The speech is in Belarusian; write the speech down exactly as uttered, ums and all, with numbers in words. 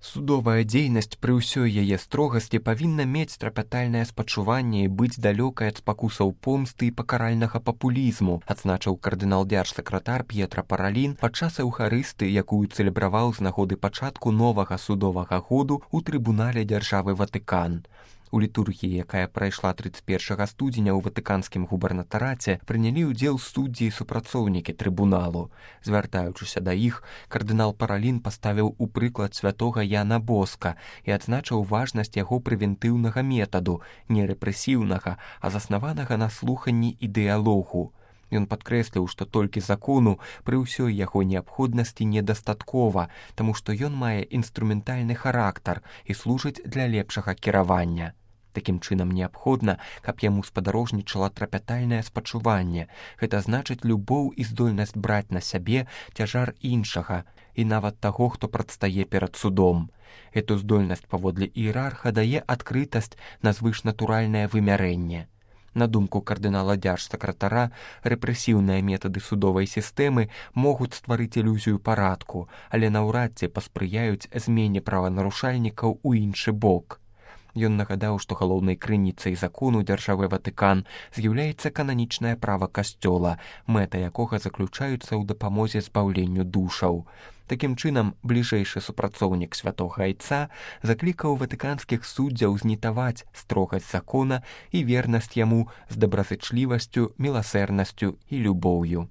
Судовая дзейнасць пры ўсёй яе строгасці павінна мець трапятальнае спачуванне і быць далёкай ад спакусаў помсты і пакаральнага папулізму, адзначыў кардынал-дзярж-сакратар П'етра Паралін падчас эўхарысты, якую цэлебраваў з нагоды пачатку новага судовага году ў трыбунале дзяржавы Ватыкан. У літургіі, якая прайшла трыццаць першага студзеня ў ватыканскім губернатараце, прынялі ўдзел суддзі і супрацоўнікі трыбуналу. Звяртаючыся да іх, кардынал Паралін паставіў у прыклад святога Яна Боска і адзначыў важнасць яго прэвентыўнага метаду, не рэпрэсіўнага, а заснаванага на слуханні і дыялогу. Ён падкрэсліў, што толькі закону пры ўсёй яго неабходнасці недастаткова, таму што ён мае інструментальны характар і служыць для лепшага кіравання. Такім чынам неабходна, каб яму спадарожнічала трапятальнае спачуванне. Гэта значыць любоў і здольнасць браць на сябе цяжар іншага і нават таго, хто прадстае перад судом. Эту здольнасць паводле іерарха дае адкрытасць на звышнатуральнае вымярэнне. На думку кардынала-дзярж-сакратара, рэпрэсіўныя метады судовай сістэмы могуць стварыць ілюзію парадку, але наўрад ці паспрыяюць змене праванарушальнікаў у іншы бок. Ён нагадаў, што галоўнай крыніцай закону дзяржавы Ватыкан з'яўляецца кананічнае права касцёла, мэта якога заключаюцца ў дапамозе збаўленню душаў. Такім чынам, бліжэйшы супрацоўнік святога айца заклікаў ватыканскіх суддзяў знітаваць строгасць закона і вернасць яму з добразычлівасцю, міласэрнасцю і любоўю.